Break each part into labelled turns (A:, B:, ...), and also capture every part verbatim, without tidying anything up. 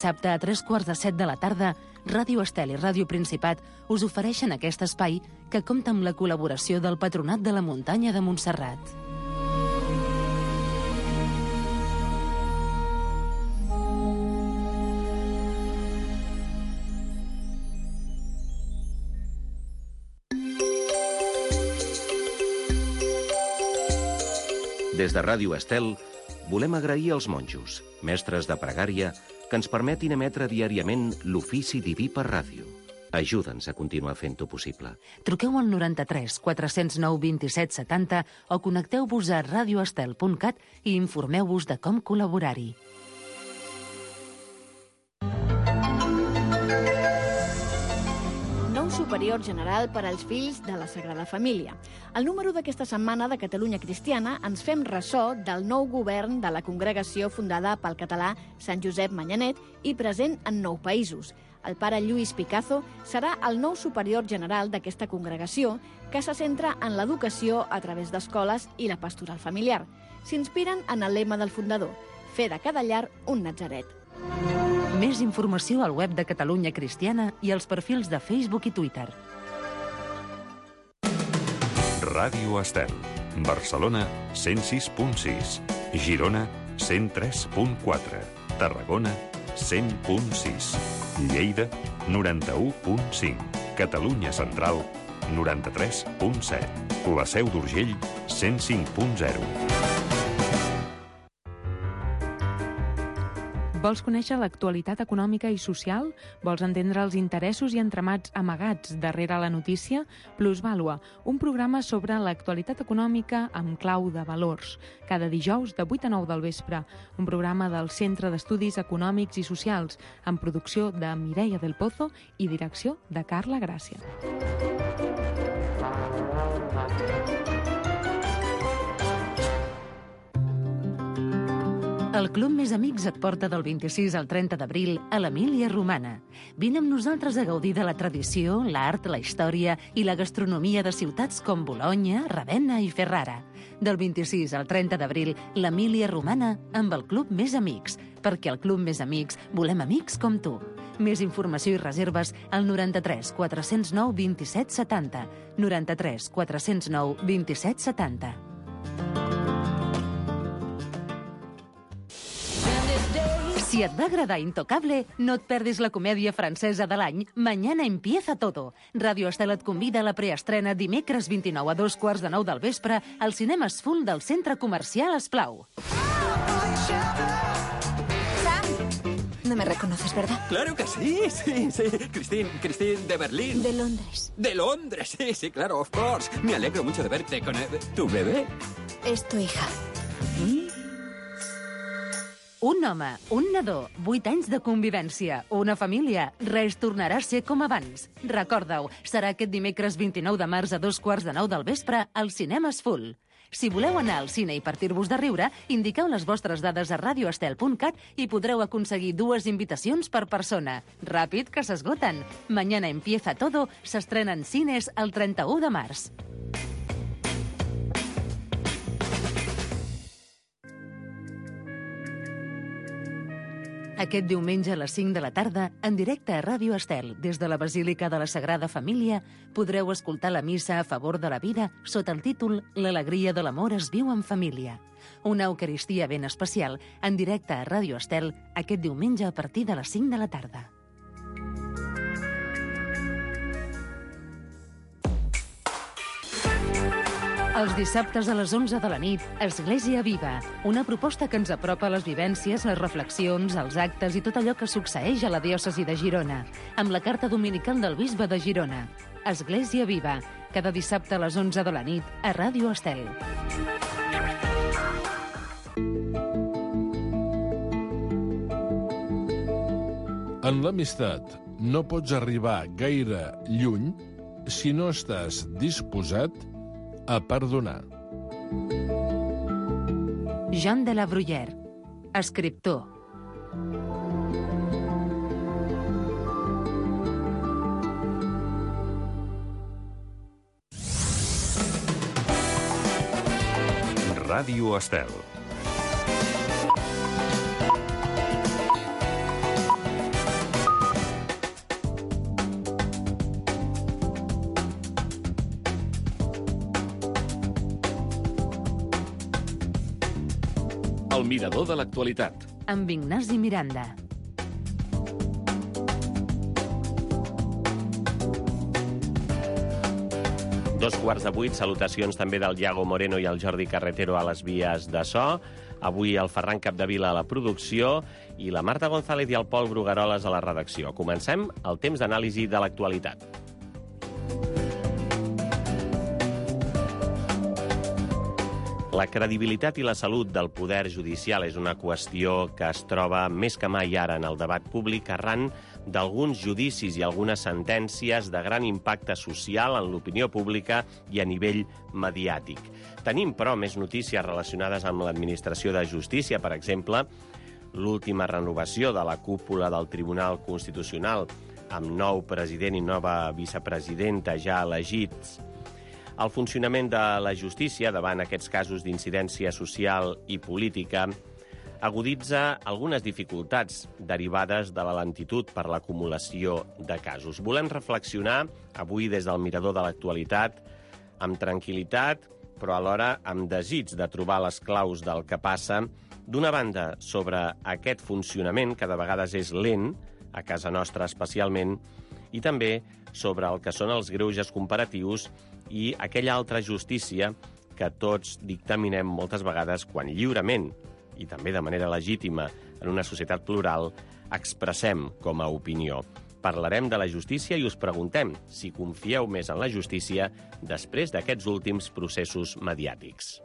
A: Dissabte a tres quarts de set de la tarda, Ràdio Estel i Ràdio Principat us ofereixen aquest espai que compta amb la col·laboració del Patronat de la Muntanya de Montserrat.
B: Des de Ràdio Estel, volem agrair als monjos, mestres de pregària, que ens permetin emetre diàriament l'ofici diví per ràdio. Ajuda'ns a continuar fent-ho possible.
A: Truqueu al noranta-tres quatre zero nou vint-i-set setanta o connecteu-vos a radioestel punt cat i informeu-vos de com col·laborar-hi.
C: Nou superior general per als fills de la Sagrada Família. Al número d'aquesta setmana de Catalunya Cristiana ens fem ressò del nou govern de la congregació fundada pel català Sant Josep Manyanet i present en nou països. El pare Lluís Picazo serà el nou superior general d'aquesta congregació que se centra en l'educació a través d'escoles i la pastoral familiar. S'inspiren en el lema del fundador, fer de cada llar un natzaret.
A: Més informació al web de Catalunya Cristiana i als perfils de Facebook i Twitter.
D: Ràdio Estel. Barcelona, cent sis punt sis. Girona, cent tres punt quatre. Tarragona, cent punt sis. Lleida, noranta-u punt cinc. Catalunya Central, noranta-tres punt set. La Seu d'Urgell, cent cinc punt zero.
E: Vols conèixer l'actualitat econòmica i social? Vols entendre els interessos i entramats amagats darrere la notícia? Plusvàlua, un programa sobre l'actualitat econòmica amb clau de valors. Cada dijous de vuit a nou del vespre. Un programa del Centre d'Estudis Econòmics i Socials, amb producció de Mireia del Pozo i direcció de Carla Gràcia.
A: El Club Més Amics et porta del vint-i-sis al trenta d'abril a l'Emília Romana. Vine amb nosaltres a gaudir de la tradició, l'art, la història i la gastronomia de ciutats com Bolonya, Ravenna i Ferrara. Del vint-i-sis al trenta d'abril, l'Emília Romana amb el Club Més Amics, perquè al Club Més Amics volem amics com tu. Més informació i reserves al noranta-tres quatre zero nou vint-i-set setanta. noranta-tres quatre zero nou vint-i-set setanta. Si et va agradar Intocable, no et perdis la comèdia francesa de l'any Mañana empieza todo. Ràdio Estel et convida a la preestrena dimecres vint-i-nou a dos quarts de nou del vespre al Cinemes Full del Centre Comercial Esplau.
F: Sam, no me reconoces, ¿verdad?
G: Claro que sí, sí, sí. Christine, Christine de Berlín.
F: De Londres.
G: De Londres, sí, sí, claro, of course. Me alegro mucho de verte con el... ¿Tu bebé?
F: Es tu hija.
G: ¿Mm?
A: Un home, un nadó, vuit anys de convivència, una família, res tornarà a ser com abans. Recorda-ho, serà aquest dimecres vint-i-nou de març a dos quarts de nou del vespre al Cinemes Full. Si voleu anar al cine i partir-vos de riure, indiqueu les vostres dades a radioestel punt cat i podreu aconseguir dues invitacions per persona. Ràpid, que s'esgoten. Mañana empieza todo s'estrena en cines el trenta-u de març. Aquest diumenge a les cinc de la tarda, en directe a Ràdio Estel, des de la Basílica de la Sagrada Família, podreu escoltar la missa a favor de la vida sota el títol L'alegria de l'amor es viu en família. Una eucaristia ben especial, en directe a Ràdio Estel, aquest diumenge a partir de les cinc de la tarda. Els dissabtes a les onze de la nit, Església Viva, una proposta que ens apropa a les vivències, les reflexions, els actes i tot allò que succeeix a la diòcesi de Girona, amb la carta dominical del bisbe de Girona. Església Viva, cada dissabte a les onze de la nit, a Ràdio Estel.
H: En l'amistat no pots arribar gaire lluny si no estàs disposat a perdonar.
A: Jean de la Bruyère, escriptor.
D: Ràdio Estel.
H: El mirador de l'actualitat.
A: Amb Ignasi Miranda.
I: Dos quarts de vuit, salutacions també del Iago Moreno i el Jordi Carretero a les vies de so. Avui el Ferran Capdevila a la producció i la Marta González i el Pol Brugueroles a la redacció. Comencem el temps d'anàlisi de l'actualitat. La credibilitat i la salut del poder judicial és una qüestió que es troba més que mai ara en el debat públic arran d'alguns judicis i algunes sentències de gran impacte social en l'opinió pública i a nivell mediàtic. Tenim, però, més notícies relacionades amb l'administració de justícia, per exemple, l'última renovació de la cúpula del Tribunal Constitucional amb nou president i nova vicepresidenta ja elegits. El funcionament de la justícia davant aquests casos d'incidència social i política aguditza algunes dificultats derivades de la lentitud per l'acumulació de casos. Volem reflexionar avui des del mirador de l'actualitat amb tranquil·litat, però alhora amb desig de trobar les claus del que passa, d'una banda sobre aquest funcionament, que de vegades és lent, a casa nostra especialment, i també sobre el que són els greuges comparatius i aquella altra justícia que tots dictaminem moltes vegades quan lliurement i també de manera legítima en una societat plural expressem com a opinió. Parlarem de la justícia i us preguntem si confieu més en la justícia després d'aquests últims processos mediàtics.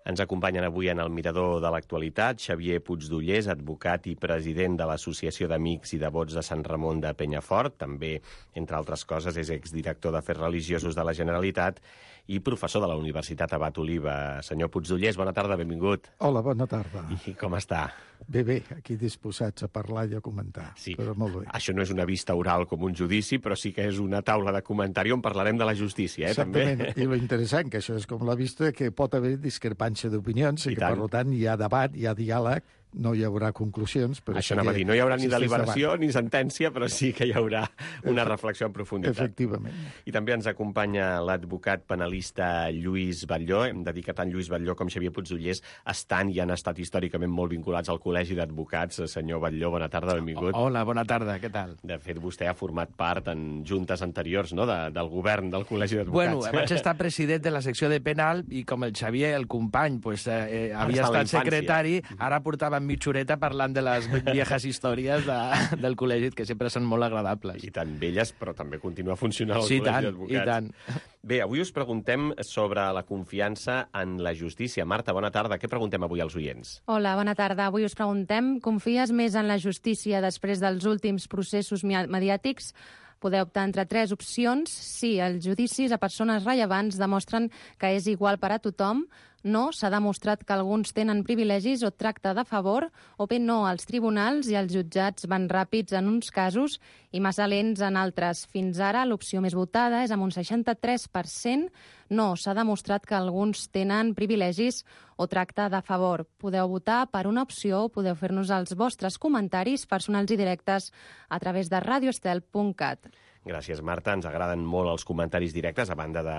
I: Ens acompanyen avui en el mirador de l'actualitat Xavier Puigdollers, advocat i president de l'Associació d'Amics i Devots de Sant Ramon de Penyafort. També, entre altres coses, és exdirector d'Afers Religiosos de la Generalitat i professor de la Universitat Abat Oliva. Senyor Puigdollers, bona tarda, benvingut.
J: Hola, bona tarda.
I: I com està?
J: Bé, bé, aquí disposats a parlar i a comentar,
I: sí.
J: Però molt bé.
I: Això no és una vista oral com un judici, però sí que és una taula de comentari on parlarem de la justícia, eh,
J: Exactament.
I: també.
J: I lo interessant, que això és com la vista, que pot haver discrepància d'opinions i, i que, tant. Per tant, hi ha debat, hi ha diàleg, no hi haurà conclusions. Però
I: Això
J: sí
I: anava a dir, no hi haurà ni deliberació
J: debat.
I: ni sentència, però sí que hi haurà una
J: Efe...
I: reflexió en profunditat.
J: Efectivament.
I: I també ens acompanya l'advocat penalista Lluís Batlló. Hem de dir que tant Lluís Batlló com Xavier Puigdollers estan i han estat històricament molt vinculats al Col·legi d'Advocats. Senyor Batlló, bona tarda, benvingut.
K: Hola, bona tarda, què tal?
I: De fet, vostè ha format part en juntes anteriors, no?, de, del govern del Col·legi d'Advocats.
K: Bueno, vaig estar president de la secció de penal i com el Xavier, el company, pues, eh, havia estat secretari, ara portàvem mitja horeta parlant de les viejas històries de, del col·legi, que sempre són molt agradables.
I: I tan velles, però també continua funcionant el
K: sí,
I: Col·legi
K: tant,
I: d'Advocats.
K: I tant.
I: Bé, avui us preguntem sobre la confiança en la justícia. Marta, bona tarda. Què preguntem avui als oients?
L: Hola, bona tarda. Avui us preguntem, confies més en la justícia després dels últims processos mediàtics? Podeu optar entre tres opcions. Sí, els judicis a persones rellevants demostren que és igual per a tothom. No, s'ha demostrat que alguns tenen privilegis o tracte de favor, o bé no, els tribunals i els jutjats van ràpids en uns casos i massa lents en altres. Fins ara, l'opció més votada és amb un seixanta-tres per cent. No, s'ha demostrat que alguns tenen privilegis o tracte de favor. Podeu votar per una opció o podeu fer-nos els vostres comentaris personals i directes a través de radio estel punt cat.
I: Gràcies, Marta. Ens agraden molt els comentaris directes, a banda de,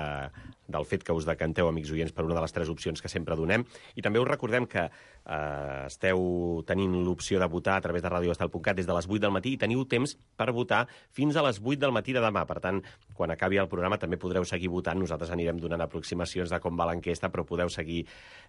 I: del fet que us decanteu, amics oients, per una de les tres opcions que sempre donem. I també us recordem que eh, esteu tenint l'opció de votar a través de radio estel punt cat des de les vuit del matí i teniu temps per votar fins a les vuit del matí de demà. Per tant, quan acabi el programa també podreu seguir votant. Nosaltres anirem donant aproximacions de com va l'enquesta, però podeu seguir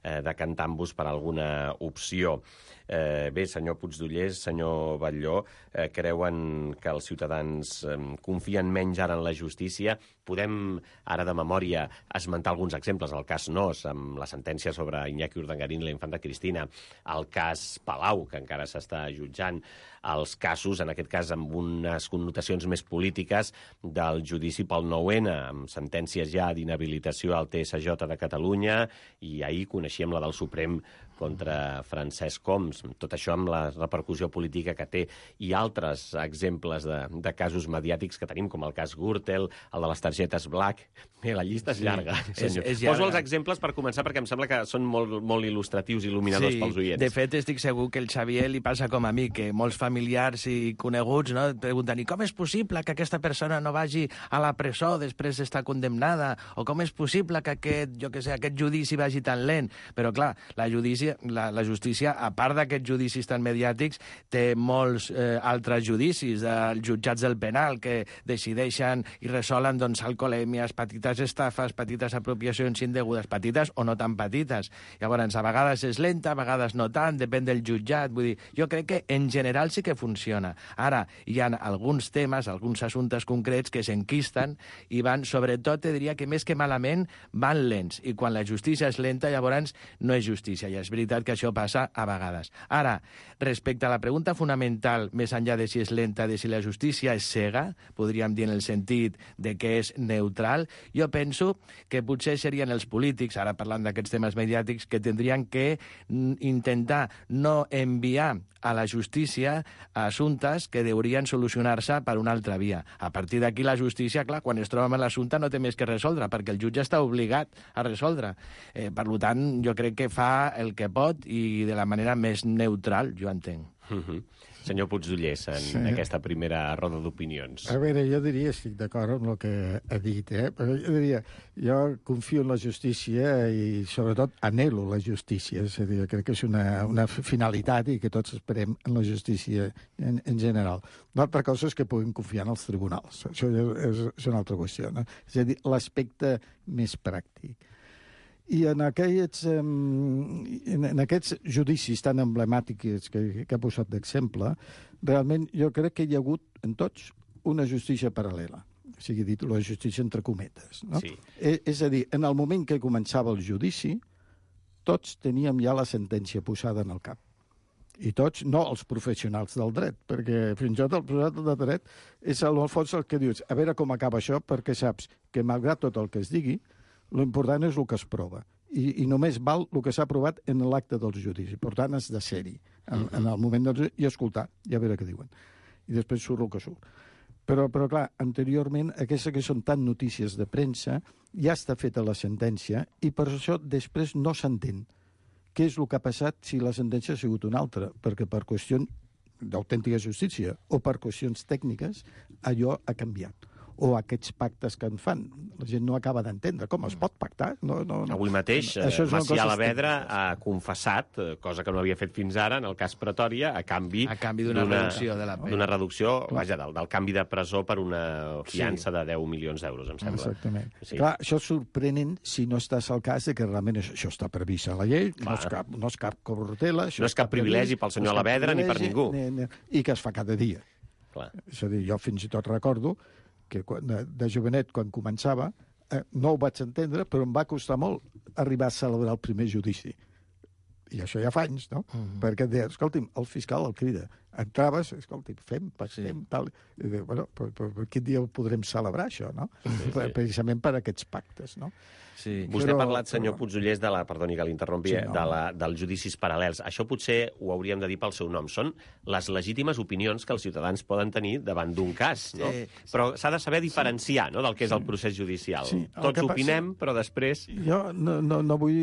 I: eh, decantant-vos per alguna opció. Eh, bé, senyor Puigdollers, senyor Batlló, eh, creuen que els ciutadans eh, confien menys ara en la justícia. Podem, ara de memòria, esmentar alguns exemples. El cas Nos, amb la sentència sobre Iñaki Urdangarín i la infanta Cristina. El cas Palau, que encara s'està jutjant. Els casos, en aquest cas amb unes connotacions més polítiques, del judici pel nou ene, amb sentències ja d'inhabilitació al T S J de Catalunya, i ahir coneixíem la del Suprem contra Francesc Homs, tot això amb la repercussió política que té, i altres exemples de, de casos mediàtics que tenim, com el cas Gürtel, el de les targetes Black. Bé, la llista és llarga, sí, senyor. És, és llarga. Poso els exemples per començar, perquè em sembla que són molt, molt il·lustratius i il·luminadors
K: sí,
I: pels oients.
K: De fet, estic segur que el Xavier li passa com a mi, que molts familiars i coneguts, no, pregunten, i com és possible que aquesta persona no vagi a la presó després d'estar condemnada? O com és possible que aquest, jo que sé, aquest judici vagi tan lent? Però, clar, la, judici, la, la justícia, a part d'aquests judicis tan mediàtics, té molts eh, altres judicis dels jutjats del penal que decideixen i resolen doncs, alcoholèmies, petites estafes, petites apropiacions indegudes, petites o no tan petites. Llavors, a vegades és lenta, a vegades no tant, depèn del jutjat. Vull dir, jo crec que en general sí que funciona. Ara, hi ha alguns temes, alguns assumptes concrets que s'enquisten i van, sobretot, te diria que més que malament, van lents. I quan la justícia és lenta, llavors no és justícia. I és veritat que això passa a vegades. Ara, respecte a la pregunta fonamental, més enllà de si és lenta, de si la justícia és cega, podríem dir en el sentit de que és neutral, jo penso que potser serien els polítics, ara parlant d'aquests temes mediàtics, que tindrien que intentar no enviar a la justícia assumptes que deurien solucionar-se per una altra via. A partir d'aquí la justícia, clar, quan es troba amb l'assumpte no té més que resoldre, perquè el jutge està obligat a resoldre. Eh, per tant, jo crec que fa el que pot i de la manera més neutral, jo entenc.
I: Mm-hmm. Senyor Puigdollers, en sí. aquesta primera roda d'opinions.
J: A veure, jo diria, estic d'acord amb el que ha dit, eh? Però jo diria, jo confio en la justícia i, sobretot, anhelo la justícia. És a dir, crec que és una, una finalitat i que tots esperem en la justícia en, en general. L'altra cosa és que puguem confiar en els tribunals. Això és, és una altra qüestió, no? És a dir, l'aspecte més pràctic. I en aquests, en, en aquests judicis tan emblemàtics que, que ha posat d'exemple, realment jo crec que hi ha hagut en tots una justícia paral·lela. O sigui, dit la justícia entre cometes. No?
I: Sí.
J: És, és a dir, en el moment que començava el judici, tots teníem ja la sentència posada en el cap. I tots, no els professionals del dret, perquè fins i tot el professional del dret és al fons el que dius, a veure com acaba això, perquè saps que malgrat tot el que es digui, l'important és el que es prova. I, i només val el que s'ha aprovat en l'acte dels judicis. Per tant, has de ser-hi en, en el moment del judici i escoltar, i a veure què diuen. I després surt el que surt. Però, però clar, anteriorment, aquestes que són tan notícies de premsa, ja està feta la sentència i per això després no s'entén què és el que ha passat si la sentència ha sigut una altra, perquè per qüestions d'autèntica justícia o per qüestions tècniques allò ha canviat. O aquests pactes que en fan. La gent no acaba d'entendre. Com es pot pactar? No, no, no.
I: Avui mateix, Macià Alavedra ha confessat, cosa que no havia fet fins ara, en el cas Pretòria, a canvi,
K: a canvi d'una reducció de la pena.
I: D'una reducció, vaja, del, del canvi de presó per una fiança sí. de deu milions d'euros, em sembla.
J: Exactament. Sí. Clar, això és sorprenent si no estàs al cas de que realment això està previst a la llei, no és, cap, no és cap corruptela...
I: No és cap privilegi pel senyor Alavedra ni per ningú.
J: Ni, ni, I que es fa cada dia.
I: Clar.
J: És a dir, jo fins i tot recordo que quan, de, de jovenet, quan començava, eh, no ho vaig entendre, però em va costar molt arribar a celebrar el primer judici. I això ja fa anys, no? Uh-huh. Perquè et deia, escolti'm, el fiscal el crida. Entraves, escolti'm, fem, passem, sí. tal... I diu, bueno, però, però, però quin dia ho podrem celebrar, això, no? Sí, sí. Precisament per aquests pactes, no?
I: Sí. Vostè però, ha parlat, senyor però... Puigdollers, de la, perdoni que l'interrompi, sí, no. de la, dels judicis paral·lels. Això potser ho hauríem de dir pel seu nom. Són les legítimes opinions que els ciutadans poden tenir davant d'un cas, no? Sí, sí. Però s'ha de saber diferenciar, no?, del que és el procés judicial. Sí. Tots opinem, passa... però després...
J: Jo no, no, no vull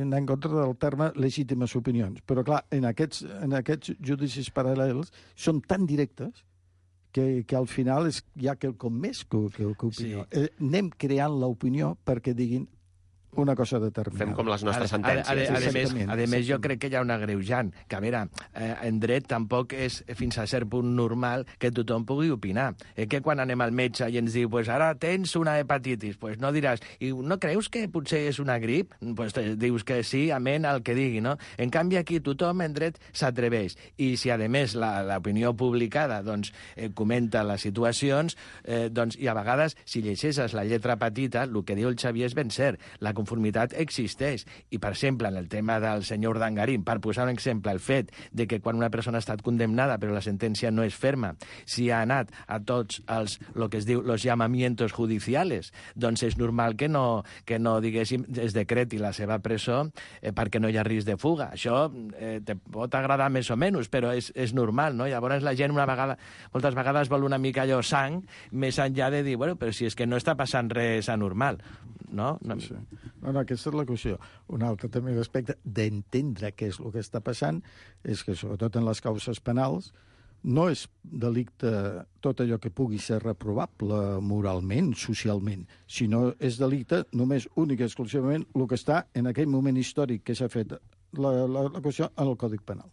J: anar en contra del terme legítimes opinions, però clar, en aquests, en aquests judicis paral·lels són tan directes que, que al final és ja quelcom més que, que, que opinió. Sí. Eh, anem creant l'opinió perquè diguin una cosa determinada.
I: Fem com les nostres sentències.
K: A, a, a, a, a, més, a més, jo crec que hi ha una greujant, que a veure, eh, en dret tampoc és fins a cert punt normal que tothom pugui opinar. Eh, que quan anem al metge i ens diu, pues ara tens una hepatitis, pues no diràs, i no creus que potser és una grip? Pues dius que sí, amén al que digui, no? En canvi aquí tothom en dret s'atreveix. I si a més l'opinió publicada doncs, eh, comenta les situacions, eh, doncs, i a vegades si llegeixes la lletra petita, el que diu el Xavier és ben cert. La inconformitat existeix. I, per exemple, en el tema del senyor Urdangarín, per posar un exemple, el fet de que quan una persona ha estat condemnada però la sentència no és ferma, si ha anat a tots els, lo que es diu, los llamamientos judiciales, doncs és normal que no, que no diguéssim, es decreti la seva presó eh, perquè no hi ha risc de fuga. Això eh, te pot agradar més o menys, però és, és normal, no? Llavors la gent una vegada, moltes vegades vol una mica allò sang, més enllà de dir, bueno, però si és que no està passant res anormal, no? no...
J: Sí. No, no, aquesta és la qüestió. Un altre també respecte d'entendre què és el que està passant és que, sobretot en les causes penals, no és delicte tot allò que pugui ser reprovable moralment, socialment, sinó és delicte només únic i exclusivament el que està en aquell moment històric que s'ha fet la, la, la qüestió en el Codi Penal.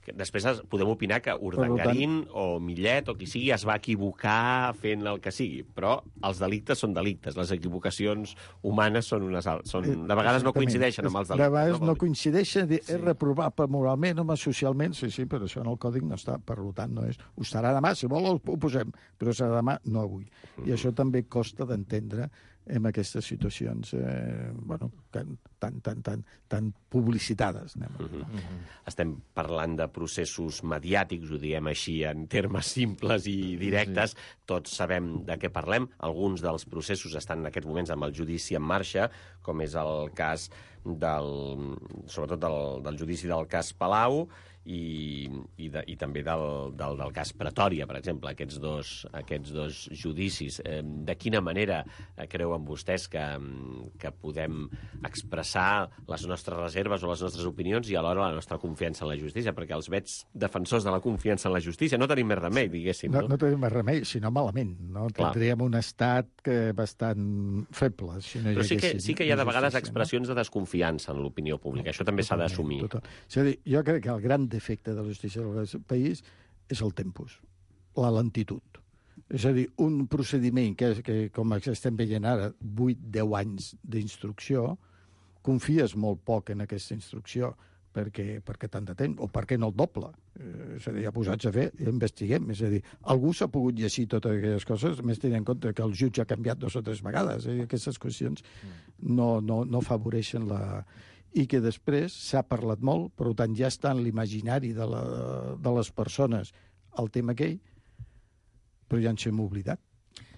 I: Després podem opinar que Urdangarín tant... o Millet o qui sigui es va equivocar fent el que sigui, però els delictes són delictes, les equivocacions humanes són unes altres. Són... De vegades no coincideixen amb els delictes.
J: De vegades no, no coincideixen, sí. És reprovable moralment o socialment, sí, sí, però això en el còdic no està, per tant no és. Ho estarà demà, si vol ho posem, però serà demà, no avui. Mm. I això també costa d'entendre en aquestes situacions eh, bueno, tan, tan, tan, tan, tan publicitades. Anem. Uh -huh. Uh -huh.
I: Estem parlant de processos mediàtics, ho diem així en termes simples i directes. Sí. Tots sabem de què parlem. Alguns dels processos estan en aquests moments amb el judici en marxa, com és el cas del, sobretot del, del judici del cas Palau, i, i, de, i també del, del, del cas Pretòria, per exemple, aquests dos, aquests dos judicis. Eh, de quina manera creuen vostès que, que podem expressar les nostres reserves o les nostres opinions i alhora la nostra confiança en la justícia? Perquè els veig defensors de la confiança en la justícia no tenim més remei, diguéssim.
J: No, no, no tenim més remei, sinó malament. No? Tindríem un estat que bastant feble. Si no
I: Però sí que, sí que hi ha de vegades expressions no? de desconfiança en l'opinió pública. Això també s'ha d'assumir.
J: És a dir, jo crec que el gran defecte de la justícia del país és el tempus, la lentitud. És a dir, un procediment que, que com estem veient ara, vuit a deu anys d'instrucció, confies molt poc en aquesta instrucció perquè, perquè tant de temps, o perquè no el doble. Eh, és a dir, ja posats a fer, ja investiguem. És a dir, algú s'ha pogut llegir totes aquelles coses, més tenint en compte que el jutge ha canviat dues o tres vegades. Eh? Aquestes qüestions no, no, no afavoreixen la... i que després s'ha parlat molt, per tant ja està en l'imaginari de, la, de les persones el tema aquell, però ja ens hem oblidat.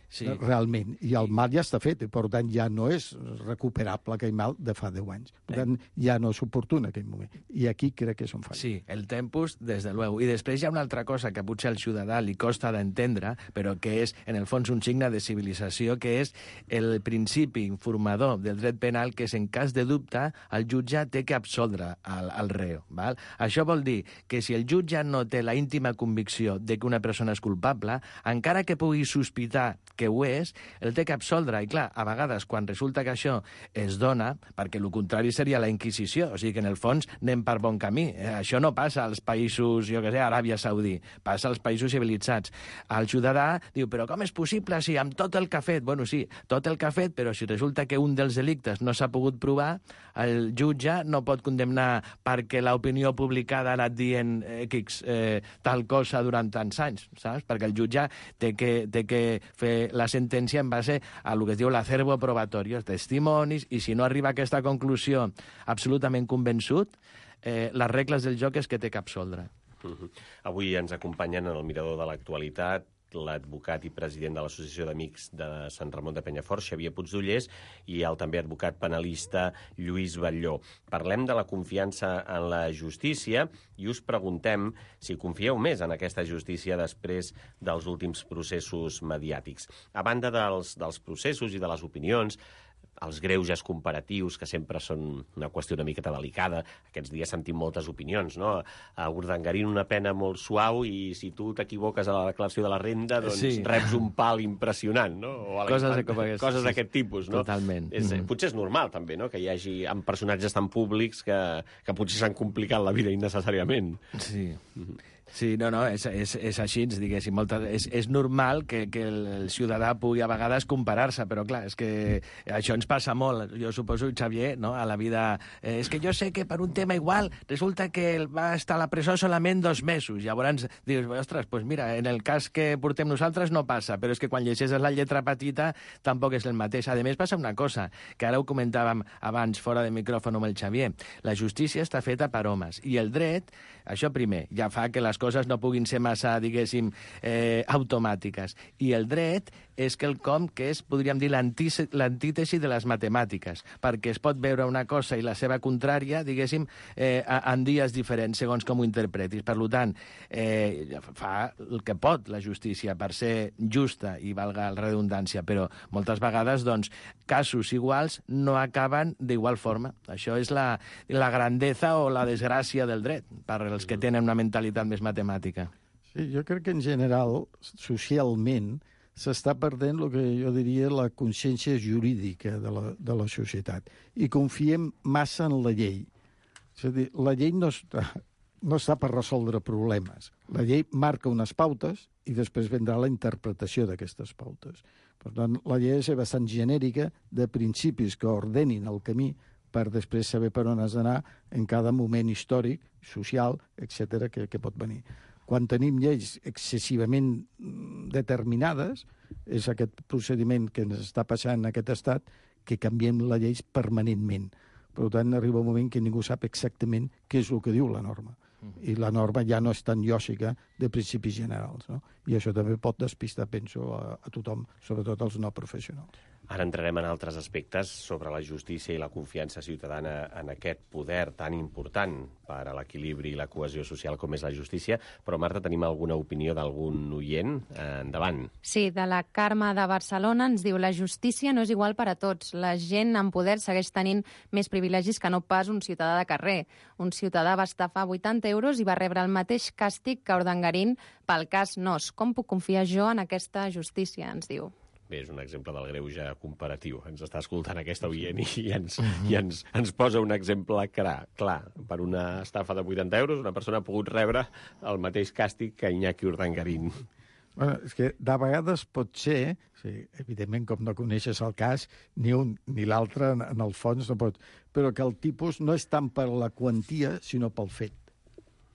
J: Sí. Realment, i el mal ja està fet, per tant ja no és recuperable aquell mal de fa deu anys. Per tant, ja no és oportú en aquell moment. I aquí crec que és on falla.
K: Sí, el tempus, des de luego. I després hi ha una altra cosa que potser al ciutadà li costa d'entendre, però que és, en el fons, un signe de civilització, que és el principi informador del dret penal, que és, en cas de dubte, el jutge té que absoldre el, el reo. Val? Això vol dir que si el jutge no té la íntima convicció de que una persona és culpable, encara que pugui sospitar que ho és, el té que absoldre. I clar, a vegades, quan resulta que això es dona, perquè el contrari seria la Inquisició, o sigui que en el fons anem per bon camí. Eh, això no passa als països, jo què sé, Aràbia Saudí, passa als països civilitzats. El ciutadà diu, però com és possible si amb tot el que ha fet? Bueno, sí, tot el que ha fet, però si resulta que un dels delictes no s'ha pogut provar, el jutge no pot condemnar perquè l'opinió publicada ha anat dient X eh, tal cosa durant tants anys, saps? Perquè el jutge té que, té que fer la sentència en base a el que es diu l'acervo probatori, els testimonis, i si no arriba a aquesta conclusió absolutament convençut, eh, les regles del joc és que té que absoldre.
I: Uh-huh. Avui ens acompanyen en el mirador de l'actualitat l'advocat i president de l'Associació d'Amics de Sant Ramon de Penyafort, Xavier Puigdollers, i el també advocat penalista Lluís Batlló. Parlem de la confiança en la justícia i us preguntem si confieu més en aquesta justícia després dels últims processos mediàtics. A banda dels, dels processos i de les opinions, els greuges comparatius, que sempre són una qüestió una miqueta delicada. Aquests dies sentim moltes opinions, no? A Urdangarín una pena molt suau i si tu t'equivoques a la declaració de la renda, doncs sí. reps un pal impressionant, no? O a
K: coses d'aquest
I: coses d'aquest tipus, no?
K: Totalment.
I: És, mm-hmm. Potser és normal, també, no?, que hi hagi amb personatges tan públics que, que potser s'han complicat la vida innecessàriament.
K: Sí. Mm-hmm. Sí, no, no, és, és, és així, diguéssim. Molta, és, és normal que, que el, el ciutadà pugui a vegades comparar-se, però clar, és que això ens passa molt. Jo suposo, Xavier, no?, a la vida... Eh, és que jo sé que per un tema igual resulta que va estar a la presó solament dos mesos. Llavors dius, ostres, doncs mira, en el cas que portem nosaltres no passa, però és que quan llegeixes la lletra petita tampoc és el mateix. A més, passa una cosa, que ara ho comentàvem abans, fora de micròfon amb el Xavier. La justícia està feta per homes, i el dret, això primer, ja fa que les coses no puguin ser massa, diguéssim, eh, automàtiques. I el dret és quelcom que és, podríem dir, l'antítesi de les matemàtiques, perquè es pot veure una cosa i la seva contrària, diguéssim, eh, en dies diferents, segons com ho interpretis. Per tant, eh, fa el que pot la justícia per ser justa, i valga la redundància, però moltes vegades, doncs, casos iguals no acaben d'igual forma. Això és la, la grandesa o la desgràcia del dret, per als que tenen una mentalitat més matemàtica.
J: Sí, jo crec que en general, socialment, s'està perdent el que jo diria la consciència jurídica de la, de la societat. I confiem massa en la llei. És a dir, la llei no està, no està per resoldre problemes. La llei marca unes pautes i després vendrà la interpretació d'aquestes pautes. Per tant, la llei ha de ser bastant genèrica, de principis que ordenin el camí per després saber per on has d'anar en cada moment històric, social, etcètera, que, que pot venir. Quan tenim lleis excessivament determinades, és aquest procediment que ens està passant en aquest estat, que canviem les lleis permanentment. Per tant, arriba un moment que ningú sap exactament què és el que diu la norma. I la norma ja no és tan lògica de principis generals, no? I això també pot despistar, penso, a, a tothom, sobretot als no professionals.
I: Ara entrarem en altres aspectes sobre la justícia i la confiança ciutadana en aquest poder tan important per a l'equilibri i la cohesió social com és la justícia. Però, Marta, tenim alguna opinió d'algun oient? Eh, endavant.
L: Sí, de la Carme de Barcelona ens diu: la justícia no és igual per a tots. La gent en poder segueix tenint més privilegis que no pas un ciutadà de carrer. Un ciutadà va estafar vuitanta euros i va rebre el mateix càstig que Urdangarín pel cas Nos. Com puc confiar jo en aquesta justícia, ens diu.
I: Bé, és un exemple del greuge comparatiu. Ens està escoltant aquesta oient i ens, i ens, ens posa un exemple clar. Clar, per una estafa de vuitanta euros, una persona ha pogut rebre el mateix càstig que Iñaki Urdangarín.
J: Bueno, és que de vegades pot ser, sí, evidentment, com no coneixes el cas, ni un ni l'altre, en, en el fons, no pot, però que el tipus no és tant per la quantia, sinó pel fet.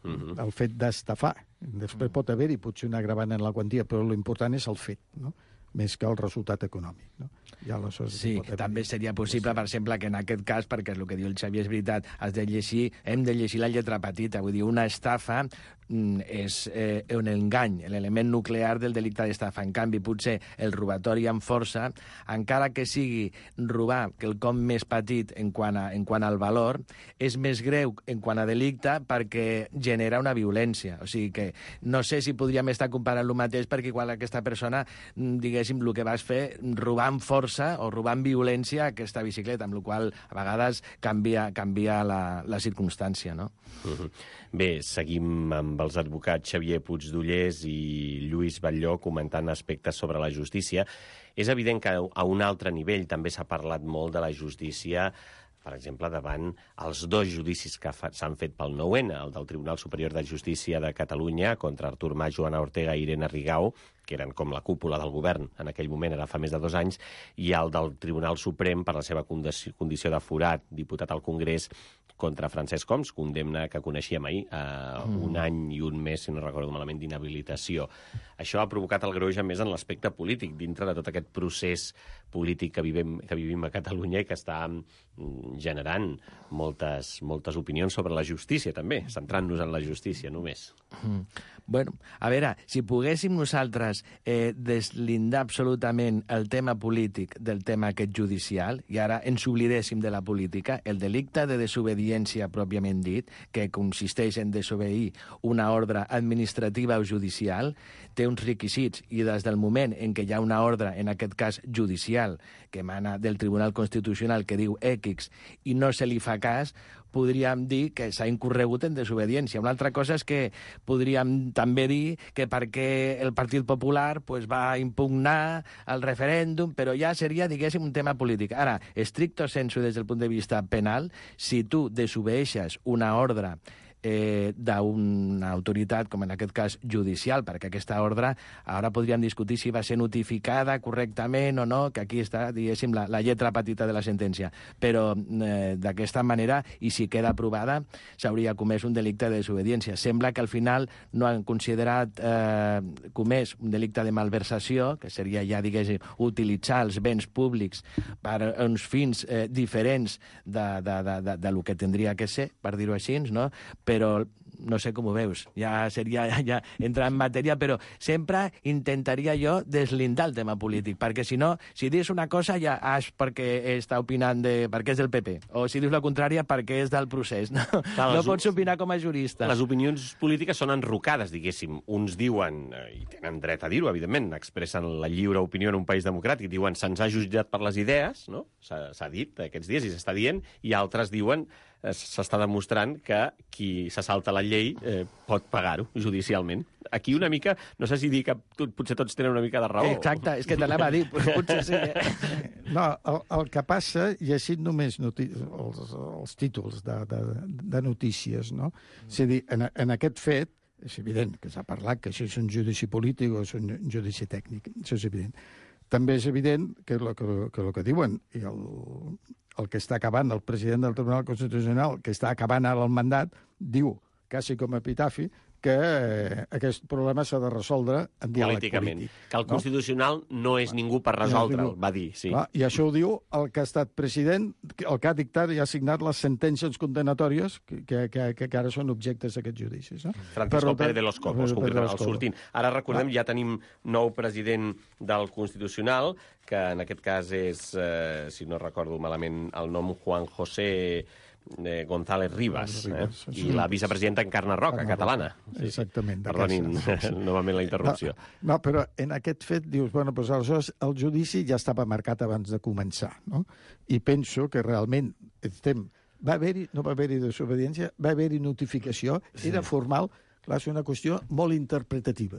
J: Uh-huh. El fet d'estafar. Després uh-huh. pot haver-hi potser un agravant en la quantia, però l'important és el fet, no?, més que el resultat econòmic, no? Ja
K: sí, que també seria possible, per exemple, que en aquest cas, perquè és el que diu el Xavier, és veritat, has de llegir, hem de llegir la lletra petita, vull dir, una estafa és eh, un engany, l'element nuclear del delicte d'estafa. En canvi, potser el robatori amb força, encara que sigui robar quelcom més petit en quant, a, en quant al valor, és més greu en quant a delicte perquè genera una violència. O sigui que no sé si podríem estar comparant el mateix, perquè igual aquesta persona, diguéssim, el que vas fer, robar amb força o robar amb violència aquesta bicicleta, amb la qual a vegades canvia, canvia la, la circumstància, no?
I: Uh-huh. Bé, seguim amb els advocats Xavier Puigdollers i Lluís Batlló comentant aspectes sobre la justícia. És evident que a un altre nivell també s'ha parlat molt de la justícia, per exemple, davant els dos judicis que s'han fet pel nou ene, el del Tribunal Superior de Justícia de Catalunya contra Artur Mas, Joana Ortega i Irene Rigau, que eren com la cúpula del govern en aquell moment, era fa més de dos anys, i el del Tribunal Suprem per la seva condició de forat, diputat al Congrés, contra Francesc Homs, condemna que coneixíem ahir, eh, mm. un any i un mes, si no recordo malament, d'inhabilitació. Això ha provocat el greuge més en l'aspecte polític, dintre de tot aquest procés polític que vivim, que vivim a Catalunya i que està generant moltes, moltes opinions sobre la justícia, també, centrant-nos en la justícia, només.
K: Mm. Bueno, a veure, si poguéssim nosaltres eh, deslindar absolutament el tema polític del tema aquest judicial, i ara ens oblidéssim de la política, el delicte de desobediència pròpiament dit, que consisteix en desobeir una ordre administrativa o judicial, té uns requisits, i des del moment en què hi ha una ordre, en aquest cas judicial, que emana del Tribunal Constitucional que diu X i no se li fa cas, podríem dir que s'ha incorregut en desobediència. Una altra cosa és que podríem també dir que perquè el Partit Popular pues, va impugnar el referèndum, però ja seria, diguéssim, un tema polític. Ara, estricto sensu des del punt de vista penal, si tu desobeeixes una ordre eh, d'una autoritat, com en aquest cas judicial, perquè aquesta ordre ara podríem discutir si va ser notificada correctament o no, que aquí està, diguéssim, la, la lletra petita de la sentència. Però eh, d'aquesta manera, i si queda aprovada, s'hauria comès un delicte de desobediència. Sembla que al final no han considerat eh, comès un delicte de malversació, que seria ja, diguéssim, utilitzar els béns públics per uns fins eh, diferents de, de, de, de, de lo que tindria que ser, per dir-ho així, no? Però no sé com ho veus, ja seria ja, ja entrar en matèria, però sempre intentaria jo deslindar el tema polític, perquè si no, si dius una cosa ja és perquè està opinant de, perquè és del P P, o si dius la contrària perquè és del procés, no? Clar, no pots opinar com a jurista.
I: Les opinions polítiques són enrocades, diguéssim. Uns diuen, i tenen dret a dir-ho, evidentment, expressen la lliure opinió en un país democràtic, diuen se'ns ha jutjat per les idees, no? S'ha dit aquests dies i s'està dient, i altres diuen s'està demostrant que qui se salta la llei eh, pot pagar-ho judicialment. Aquí una mica, no sé si dir que tu, potser tots tenen una mica de raó.
K: Exacte, és que t'anava a dir, potser sí. Eh?
J: No, el, el que passa, llegint només noti els, els títols de, de, de notícies, no? Mm. És a dir, en, en aquest fet, és evident que s'ha parlat que això és un judici polític o és un judici tècnic, això és evident. També és evident que el que, que, el que diuen, i el, el que està acabant, el president del Tribunal Constitucional, que està acabant ara el mandat, diu, quasi com a epitafi, que eh, aquest problema s'ha de resoldre en diàleg polític.
I: Que el Constitucional no, no és ningú per resoldre'l, va dir, sí.
J: Clar, i això ho diu el que ha estat president, el que ha dictat i ha signat les sentències condenatòries que, que, que, que ara són objectes d'aquests judicis. No?
I: Francisco Pérez de los Cobos, concretament, el sortint. Ara recordem, ja tenim nou president del Constitucional, que en aquest cas és, eh, si no recordo malament, el nom Juan José Eh, González Rivas, eh? I la vicepresidenta Encarna Roca, Encarna catalana.
J: Sí. Exactament.
I: Perdonin novament la interrupció.
J: No, no, però en aquest fet dius, bueno, doncs aleshores el judici ja estava marcat abans de començar, no? I penso que realment estem... Va haver-hi, no va haver-hi desobediència, va haver-hi notificació, sí. Era formal, clar, és una qüestió molt interpretativa.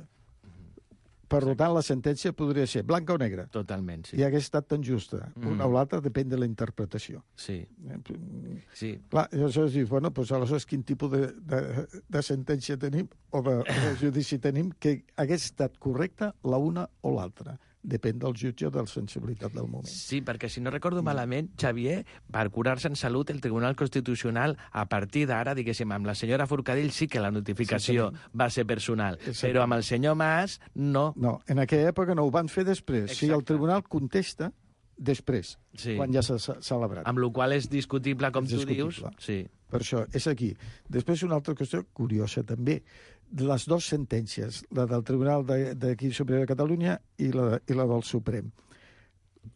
J: Per tant, la sentència podria ser blanca o negra.
K: Totalment, sí.
J: I hagués estat tan justa. Mm. Una o l'altra depèn de la interpretació.
K: Sí. Sí.
J: Clar, aleshores dius, bueno, doncs aleshores quin tipus de, de, de sentència tenim o de, de judici tenim que hagués estat correcta la una o l'altra. Depèn del jutge o de la sensibilitat del moment.
K: Sí, perquè si no recordo malament, Xavier, per curar-se en salut, el Tribunal Constitucional, a partir d'ara, diguéssim, amb la senyora Forcadell sí que la notificació sí, va ser personal, però amb el senyor Mas no.
J: No, en aquella època no, ho van fer després. Exacte. Si el Tribunal contesta, després, sí. Quan ja s'ha celebrat.
K: Amb la qual és discutible, com és tu discutible. Dius. Sí.
J: Per això, és aquí. Després una altra qüestió curiosa també. Les dues sentències, la del Tribunal d'aquí Superior de Catalunya i la, i la del Suprem.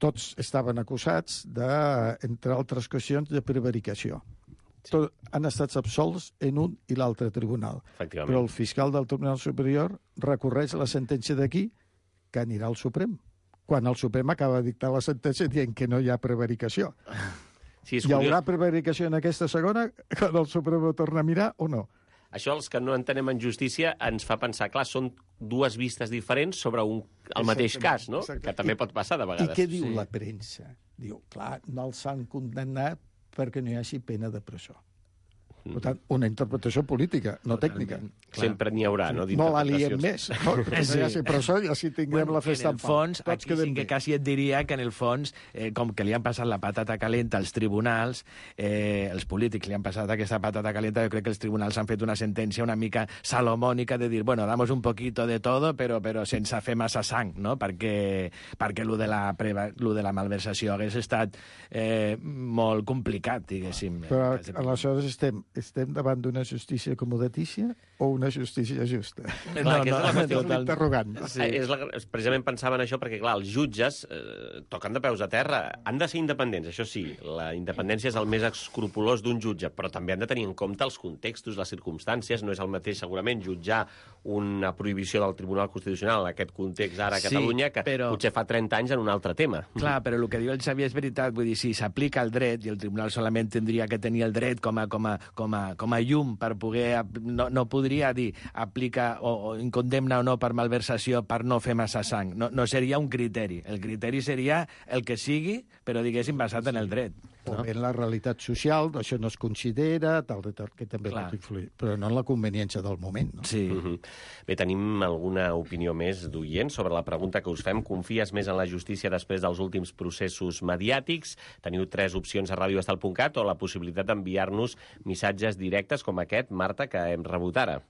J: Tots estaven acusats de, entre altres qüestions, de prevaricació. Sí. Tot, han estat absolts en un i l'altre tribunal. Però el fiscal del Tribunal Superior recorreix la sentència d'aquí que anirà al Suprem, quan el Suprem acaba de dictar la sentència dient que no hi ha prevaricació. Sí, hi haurà prevaricació en aquesta segona quan el Suprem ho torna a mirar o no?
I: Això, els que no entenem en justícia, ens fa pensar, clar, són dues vistes diferents sobre un, el mateix cas, no? Exacte. Que també pot passar de vegades.
J: I què diu sí. la premsa? Diu, clar, no els han condemnat perquè no hi hagi pena de presó. Per tant, una interpretació política, no tècnica.
I: Sempre n'hi haurà, no?
J: No la liem més. No? Sí. Ja si presó, ja si tinguem bueno, la festa
K: en el fons, en aquí sí que quasi et diria que en el fons, eh, com que li han passat la patata calenta als tribunals, eh, els polítics li han passat aquesta patata calenta, jo crec que els tribunals han fet una sentència una mica salomònica de dir, bueno, damos un poquito de todo, però, però sense fer massa sang, no? Perquè, perquè lo de la, preva, lo de la malversació hagués estat eh, molt complicat, diguéssim.
J: Però aleshores estem estem davant d'una justícia acomodatícia o una justícia justa?
I: No, clar, no, no,
J: és un interrogant.
I: Sí. És la, precisament pensava en això perquè, clar, els jutges eh, toquen de peus a terra. Han de ser independents, això sí. La independència és el més escrupolós d'un jutge, però també han de tenir en compte els contextos, les circumstàncies. No és el mateix, segurament, jutjar una prohibició del Tribunal Constitucional en aquest context ara a Catalunya, sí, que però... potser fa trenta anys en un altre tema.
K: Clar, però el que diu el Xavier és veritat. Vull dir, si s'aplica el dret, i el Tribunal solament tindria que tenir el dret com a, com a, com a, com a llum per poder... No, no podria dir aplica o, o condemna o no per malversació per no fer massa sang. No, no seria un criteri. El criteri seria el que sigui, però diguéssim basat en el dret.
J: O bé en la realitat social, això no es considera, tal, tal, que també pot influir, però no en la conveniència del moment. No?
K: Sí.
I: Uh-huh. Bé, tenim alguna opinió més d'oient sobre la pregunta que us fem. Confies més en la justícia després dels últims processos mediàtics? Teniu tres opcions a radio estel punt cat o la possibilitat d'enviar-nos missatges directes com aquest, Marta, que hem rebut ara.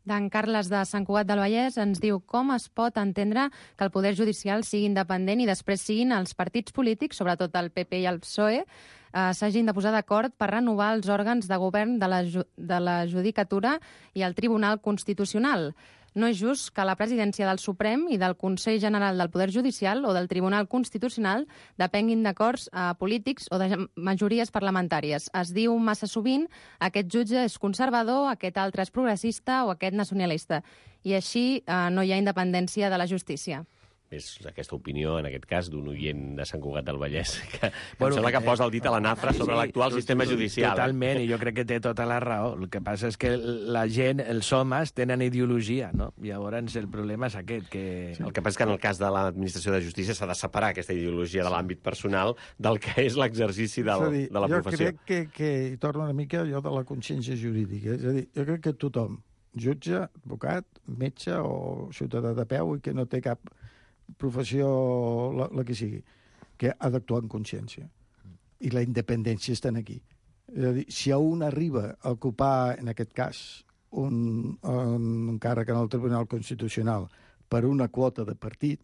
L: D'en Carles de Sant Cugat del Vallès ens diu com es pot entendre que el poder judicial sigui independent i després siguin els partits polítics, sobretot el P P i el P S O E, eh, s'hagin de posar d'acord per renovar els òrgans de govern de la, de la Judicatura i el Tribunal Constitucional. No és just que la presidència del Suprem i del Consell General del Poder Judicial o del Tribunal Constitucional depenguin d'acords eh, polítics o de majories parlamentàries. Es diu massa sovint aquest jutge és conservador, aquest altre és progressista o aquest nacionalista. I així eh, no hi ha independència de la justícia.
I: És aquesta opinió, en aquest cas, d'un oient de Sant Cugat del Vallès, que bueno, em sembla que posa el dit a la nafra sobre sí, l'actual sistema judicial.
K: Totalment, i jo crec que té tota la raó. El que passa és que la gent, els homes, tenen ideologia, no? I llavors el problema és aquest, que...
I: Sí. El que passa és que en el cas de l'administració de justícia s'ha de separar aquesta ideologia de l'àmbit personal del que és l'exercici de, dir, de la
J: jo
I: professió.
J: Jo crec que, que hi torna una mica allò de la consciència jurídica. És a dir, jo crec que tothom, jutge, advocat, metge o ciutadà de peu i que no té cap professió, la, la que sigui, que ha d'actuar en consciència. I la independència està aquí. És a dir, si a un arriba a ocupar, en aquest cas, un, un càrrec en el Tribunal Constitucional per una quota de partit,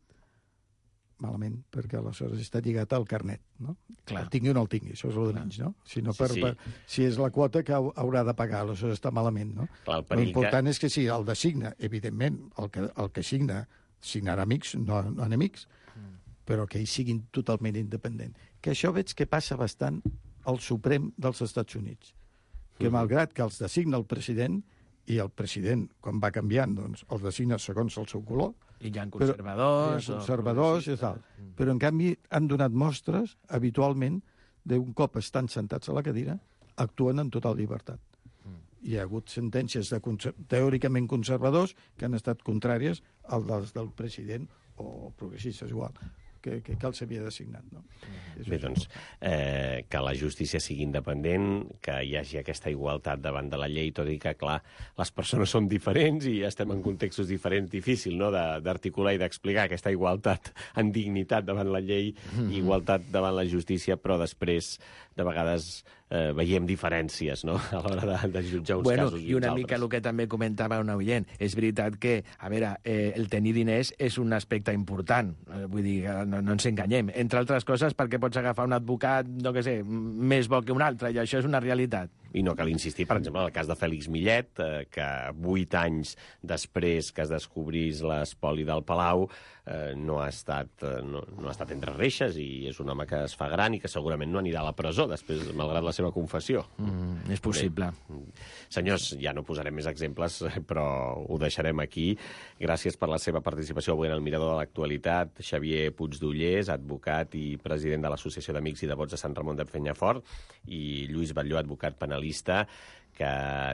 J: malament, perquè aleshores està lligat al carnet, no?
K: Clar.
J: El tingui o no el tingui, això és el de menys, no? Si, no per, sí, sí. Per, si és la quota que haurà de pagar, aleshores està malament, no?
I: Clar,
J: l'important
I: que...
J: és que sí, el designa, evidentment, el que, el que signa signarà amics, no, no enemics, mm. però que ells siguin totalment independents. Que això veig que passa bastant al Suprem dels Estats Units, que mm. malgrat que els designa el president, i el president, quan va canviant, doncs, els designa segons el seu color.
K: I hi ha conservadors.
J: Però, hi ha conservadors o... i tal. Mm. Però, en canvi, han donat mostres, habitualment, d'un cop estan sentats a la cadira, actuen en total llibertat. Hi ha hagut sentències de conser teòricament conservadors que han estat contràries al dels del president o progressistes igual, que, que, que els havia designat. No?
I: Mm. Bé, doncs, eh, que la justícia sigui independent, que hi hagi aquesta igualtat davant de la llei, tot i que, clar, les persones són diferents i estem en contextos diferents, difícil, no?, d'articular i d'explicar aquesta igualtat en dignitat davant la llei, mm. igualtat davant la justícia, però després, de vegades, eh, veiem diferències, no?, a l'hora de, de jutjar uns
K: bueno,
I: casos i
K: i una
I: uns
K: mica
I: altres.
K: El que també comentava un oient. És veritat que, a veure, eh, el tenir diners és un aspecte important. Eh, vull dir, no, no ens enganyem. Entre altres coses, perquè pots agafar un advocat, no què sé, més bo que un altre, i això és una realitat.
I: I no cal insistir, per exemple, en el cas de Fèlix Millet, eh, que vuit anys després que es descobrís l'espoli del Palau eh, no, ha estat, eh, no, no ha estat entre reixes i és un home que es fa gran i que segurament no anirà a la presó després, malgrat la seva confessió.
K: Mm, és possible.
I: Bé, senyors, ja no posarem més exemples, però ho deixarem aquí. Gràcies per la seva participació avui en el Mirador de l'Actualitat. Xavier Puigdollers, advocat i president de l'Associació d'Amics i Devots de Sant Ramon de Penyafort, i Lluís Batlló, advocat penalista. Que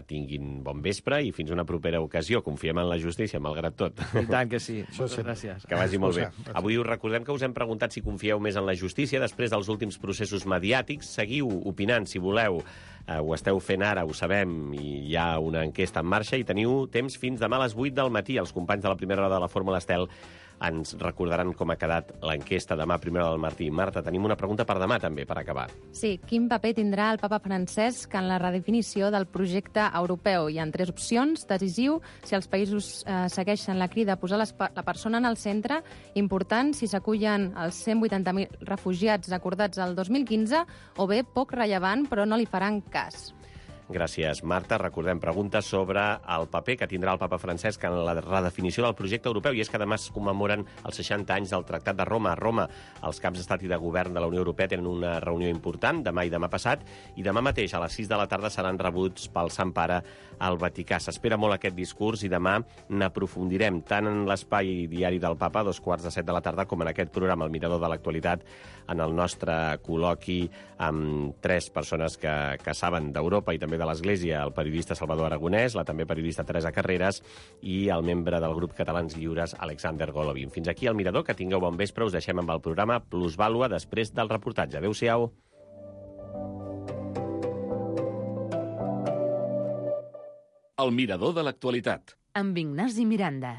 I: tinguin bon vespre i fins una propera ocasió. Confiem en la justícia, malgrat tot.
K: I tant que sí. Moltes gràcies.
I: Que vagi molt bé. Avui us recordem que us hem preguntat si confieu més en la justícia després dels últims processos mediàtics. Seguiu opinant, si voleu. Uh, ho esteu fent ara, ho sabem, i hi ha una enquesta en marxa i teniu temps fins demà a les vuit del matí. Els companys de la primera hora de la Fórmula Estel ens recordaran com ha quedat l'enquesta demà a primera hora del Martí. Marta, tenim una pregunta per demà, també, per acabar.
L: Sí, quin paper tindrà el papa Francesc en la redefinició del projecte europeu? Hi ha tres opcions. Decisiu, si els països eh, segueixen la crida a posar les, la persona en el centre. Important, si s'acullen els cent vuitanta mil refugiats acordats el dos mil quinze. O bé, poc rellevant, però no li faran cas.
I: Gràcies, Marta. Recordem preguntes sobre el paper que tindrà el papa Francesc en la redefinició del projecte europeu. I és que demà es commemoren els seixanta anys del Tractat de Roma. A Roma, els caps d'estat i de govern de la Unió Europea tenen una reunió important demà i demà passat, i demà mateix a les sis de la tarda seran rebuts pel Sant Pare al Vaticà. S'espera molt aquest discurs i demà n'aprofundirem tant en l'espai diari del papa, a dos quarts de set de la tarda, com en aquest programa, El Mirador de l'Actualitat, en el nostre col·loqui amb tres persones que, que saben d'Europa i també de l'Església, el periodista Salvador Aragonès, la també periodista Teresa Carreras i el membre del grup Catalans Lliures, Alexander Golovin. Fins aquí el Mirador, que tingueu bon vespre. Us deixem amb el programa Plusvàlua després del reportatge. Adéu-siau.
M: El mirador de l'actualitat.
A: Amb Ignasi Miranda.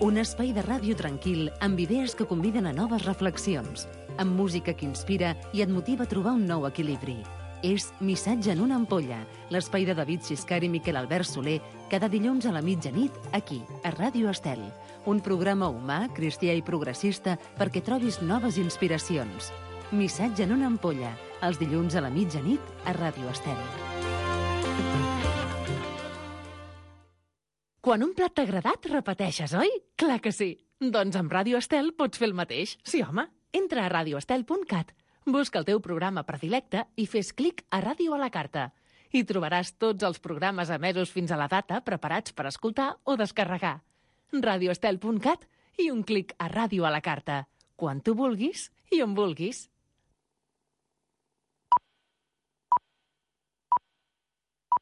A: Un espai de ràdio tranquil amb idees que conviden a noves reflexions, amb música que inspira i et motiva a trobar un nou equilibri. És Missatge en una ampolla, l'espai de David Xiscar i Miquel Albert Soler, cada dilluns a la mitjanit, aquí, a Ràdio Estel. Un programa humà, cristià i progressista perquè trobis noves inspiracions. Missatge en una ampolla, els dilluns a la mitjanit, a Ràdio Estel. Quan un plat t'ha agradat, repeteixes, oi? Clar que sí. Doncs amb Ràdio Estel pots fer el mateix. Sí, home. Entra a radio estel punt cat, busca el teu programa predilecte i fes clic a Ràdio a la carta. Hi trobaràs tots els programes emesos fins a la data preparats per escoltar o descarregar. radio estel punt cat i un clic a Ràdio a la carta. Quan tu vulguis i on vulguis.